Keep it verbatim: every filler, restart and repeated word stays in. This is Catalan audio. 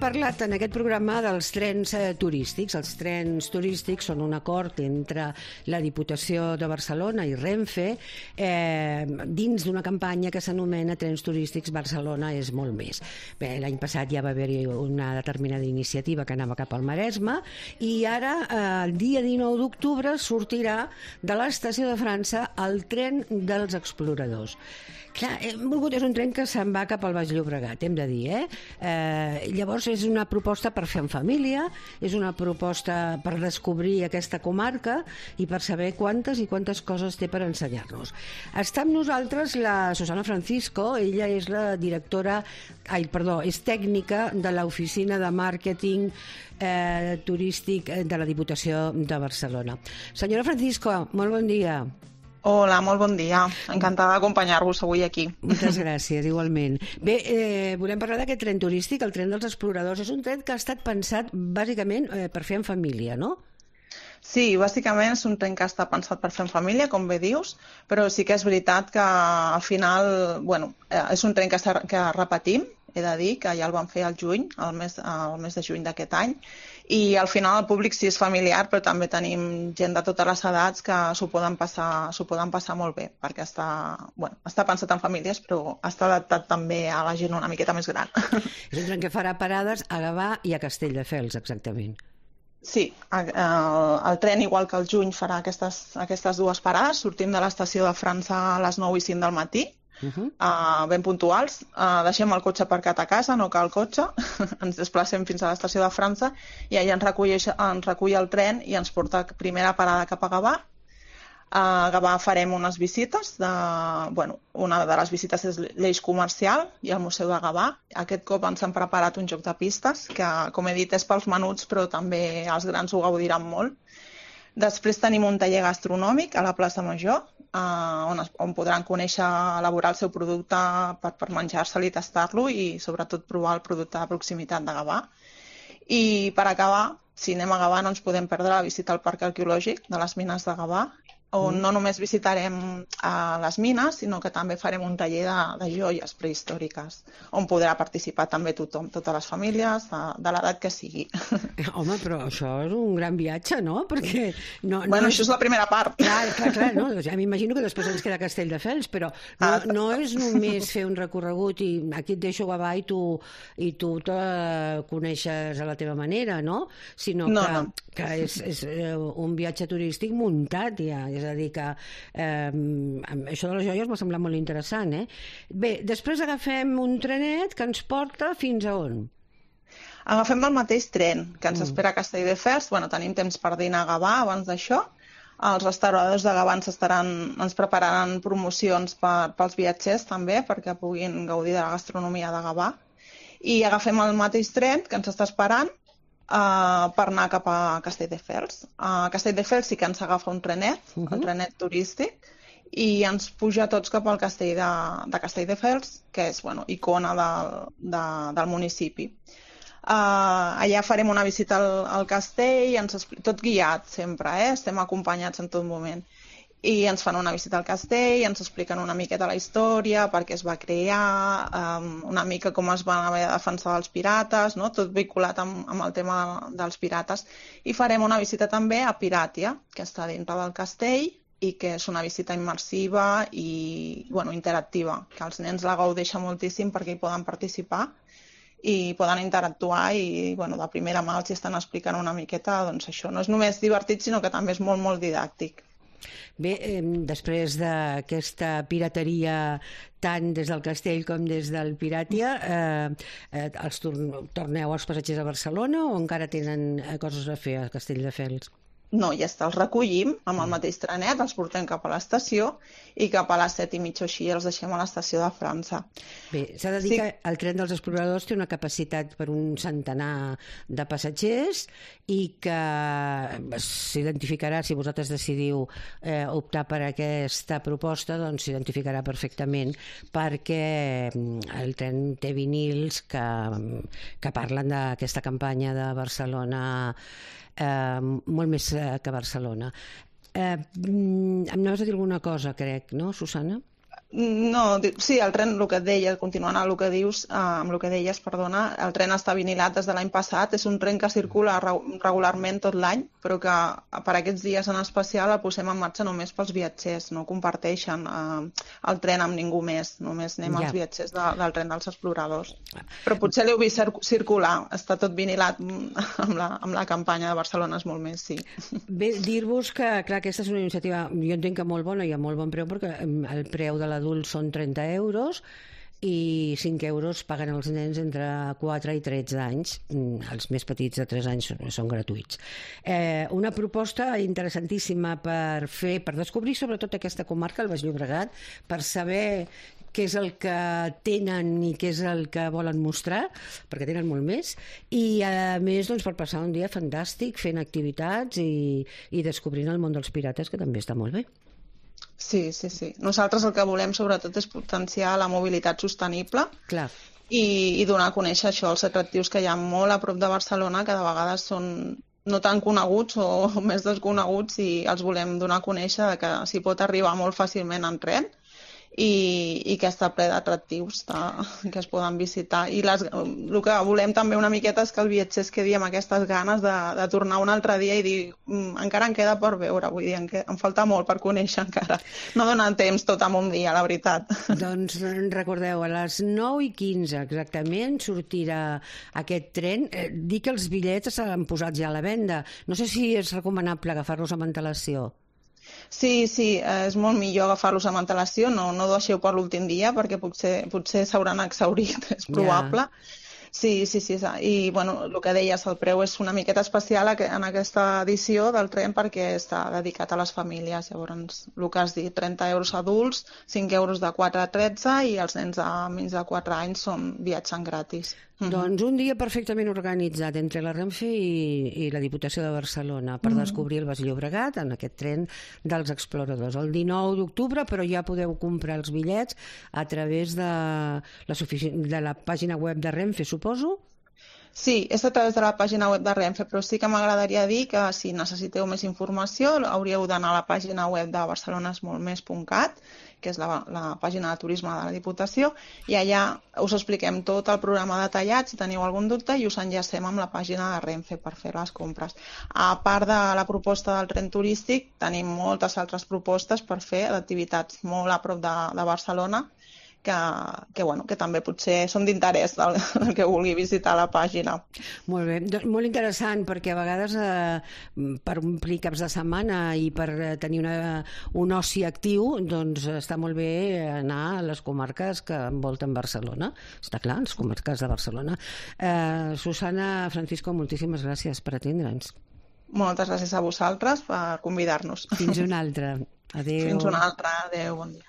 parlat en aquest programa dels trens eh, turístics. Els trens turístics són un acord entre la Diputació de Barcelona i Renfe eh, dins d'una campanya que s'anomena Trens Turístics Barcelona és molt més. Bé, l'any passat ja va haver-hi una determinada iniciativa que anava cap al Maresme i ara, eh, el dia dinou d'octubre, sortirà de l'estació de França el tren dels exploradors. Clar, hem volgut, és un tren que se'n va cap al Baix Llobregat, hem de dir, eh? eh? Llavors és una proposta per fer en família, és una proposta per descobrir aquesta comarca i per saber quantes i quantes coses té per ensenyar-nos. Està amb nosaltres la Susana Francisco, ella és la directora, ai, perdó, és tècnica de l'oficina de màrqueting eh, turístic de la Diputació de Barcelona. Senyora Francisco, molt bon dia. Hola, molt bon dia. Encantada d'acompanyar-vos avui aquí. Moltes gràcies, igualment. Bé, eh, volem parlar d'aquest tren turístic, el tren dels exploradors. És un tren que ha estat pensat bàsicament eh, per fer en família, no? Sí, bàsicament és un tren que està pensat per fer en família, com bé dius, però sí que és veritat que al final, bueno, és un tren que, que repetim, he de dir que ja el vam fer al juny, al mes, al mes de juny d'aquest any, i al final el públic sí és familiar, però també tenim gent de totes les edats que s'ho poden passar, s'ho poden passar molt bé, perquè està, bueno, està pensat en famílies, però està adaptat també a la gent una miqueta més gran. És un tren que farà parades a Gavà i a Castelldefels, exactament. Sí, el, el tren, igual que el juny, farà aquestes, aquestes dues parades. Sortim de l'estació de França a les nou i cinc del matí, Uh -huh. uh, ben puntuals, uh, deixem el cotxe aparcat a casa, no cal cotxe, ens desplacem fins a l'estació de França i allà ens recull, ens recull el tren i ens porta a primera parada cap a Gavà. A Gavà farem unes visites, de, bueno, una de les visites és l'eix comercial i el Museu de Gavà. Aquest cop ens han preparat un joc de pistes que, com he dit, és pels menuts, però també els grans ho gaudiran molt. Després tenim un taller gastronòmic a la plaça Major, eh, on, es, on podran conèixer, elaborar el seu producte per, per menjar-se'l i tastar-lo i sobretot provar el producte de proximitat de Gavà. I per acabar, si anem a Gavà no ens podem perdre la visita al Parc Arqueològic de les Mines de Gavà, on no només visitarem a les mines, sinó que també farem un taller de, de joies prehistòriques, on podrà participar també tothom, totes les famílies, de, de l'edat que sigui. Home, però això és un gran viatge, no? Perquè no, no bueno, és... això és la primera part. Clar, clar, clar, no? Ja m'imagino que després ens queda Castelldefels, però no, ah, no és només fer un recorregut i aquí et deixo Gavà i tu, i tu te coneixes a la teva manera, no? Sinó no, que, no. que és, és un viatge turístic muntat ja, és a dir que eh, això de les joies m'ha semblat molt interessant, eh? Bé, després agafem un trenet que ens porta fins a on? Agafem el mateix tren que ens mm. espera a Castelldefels. Bueno, tenim temps per dinar a Gavà abans d'això. Els restauradors de Gavà ens, estaran, ens prepararan promocions per, pels viatgers també, perquè puguin gaudir de la gastronomia de Gavà. I agafem el mateix tren que ens està esperant Uh, per anar cap a Castelldefels. A Castelldefels sí que ens agafa un trenet, uh -huh. un trenet turístic, i ens puja tots cap al castell de, de Castelldefels, que és, bueno, icona del, de, del municipi. Uh, allà farem una visita al, al castell, ens tot guiat sempre, eh? Estem acompanyats en tot moment. I ens fan una visita al castell, ens expliquen una miqueta la història, per què es va crear, um, una mica com es van haver de defensar dels pirates, no? Tot vinculat amb, amb el tema dels pirates. I farem una visita també a Piràtia, que està dintre del castell i que és una visita immersiva i, bueno, interactiva, que els nens la gaudeixen moltíssim perquè hi poden participar i poden interactuar i, bueno, de primera mà els estan explicant una miqueta, doncs això no és només divertit, sinó que també és molt, molt didàctic. Bé, eh, després d'aquesta pirateria tant des del castell com des del Piràtia, eh, eh, els torneu als passatgers a Barcelona o encara tenen coses a fer a Castelldefels? No, ja està, els recollim amb el mateix trenet, els portem cap a l'estació i cap a les set i mitja o així els deixem a l'estació de França. Bé, s'ha de dir sí. que el tren dels exploradors té una capacitat per un centenar de passatgers i que s'identificarà, si vosaltres decidiu eh, optar per aquesta proposta, doncs s'identificarà perfectament perquè el tren té vinils que, que parlen d'aquesta campanya de Barcelona Eh, molt més que Barcelona. Eh, em anaves a dir alguna cosa, crec, no, Susana? No, sí, el tren, el que et deia, continuant amb el que dius, amb el que deies, perdona, el tren està vinilat des de l'any passat, és un tren que circula regularment tot l'any, però que per aquests dies en especial el posem en marxa només pels viatgers, no comparteixen eh, el tren amb ningú més, només anem ja. Els viatgers de, del tren dels exploradors. Però potser l'heu vist circular, està tot vinilat amb la, amb la campanya de Barcelona, és molt més, sí. Bé, dir-vos que, clar, aquesta és una iniciativa, jo entenc que molt bona i a molt bon preu, perquè el preu de l'adult són trenta euros i cinc euros paguen els nens entre quatre i tretze anys. Els més petits de tres anys són, són gratuïts. Eh, una proposta interessantíssima per fer, per descobrir sobretot aquesta comarca, el Baix Llobregat, per saber què és el que tenen i què és el que volen mostrar, perquè tenen molt més, i a més doncs, per passar un dia fantàstic fent activitats i, i descobrint el món dels pirates, que també està molt bé. Sí, sí, sí. Nosaltres el que volem sobretot és potenciar la mobilitat sostenible. Clar. I, i donar a conèixer això, els atractius que hi ha molt a prop de Barcelona, que de vegades són no tan coneguts o més desconeguts, i els volem donar a conèixer que s'hi pot arribar molt fàcilment en tren i, i que està ple d'atractius que es poden visitar. I les, el que volem també una miqueta és que el viatger es quedi amb aquestes ganes de, de tornar un altre dia i dir encara em queda per veure, vull dir, em, em falta molt per conèixer encara. No dona temps tot en un dia, la veritat. Doncs recordeu, a les nou i quinze exactament sortirà aquest tren. Eh, dir que els bitllets s'han posat ja a la venda. No sé si és recomanable agafar-los amb antelació. Sí, sí, és molt millor agafar-los amb antelació, no, no deixeu per l'últim dia perquè potser, potser s'hauran exhaurit, és probable. Yeah. Sí, sí, sí, i bueno, el que deies, el preu és una miqueta especial en aquesta edició del tren perquè està dedicat a les famílies. Llavors, el que has dit, trenta euros adults, cinc euros de quatre a tretze i els nens de menys de quatre anys són viatjant gratis. Doncs un dia perfectament organitzat entre la Renfe i, i la Diputació de Barcelona per mm. descobrir el Baix Llobregat en aquest tren dels exploradors. El dinou d'octubre, però ja podeu comprar els bitllets a través de la, de la pàgina web de Renfe, suposo? Sí, és a través de la pàgina web de Renfe, però sí que m'agradaria dir que si necessiteu més informació hauríeu d'anar a la pàgina web de barcelonasmoltmes punt cat, que és la, la pàgina de turisme de la Diputació, i allà us expliquem tot el programa detallat, si teniu algun dubte, i us enllacem amb la pàgina de Renfe per fer les compres. A part de la proposta del tren turístic, tenim moltes altres propostes per fer d'activitats molt a prop de, de Barcelona, que, que, bueno, que també potser són d'interès del, del que vulgui visitar la pàgina. Molt bé, molt interessant, perquè a vegades eh, per omplir caps de setmana i per tenir una, un oci actiu, doncs està molt bé anar a les comarques que envolten Barcelona. Està clar, les comarques de Barcelona. Eh, Susana, Francisco, moltíssimes gràcies per atendre'ns. Moltes gràcies a vosaltres per convidar-nos. Fins una altra. Adéu. Fins una altra. Adéu, bon dia.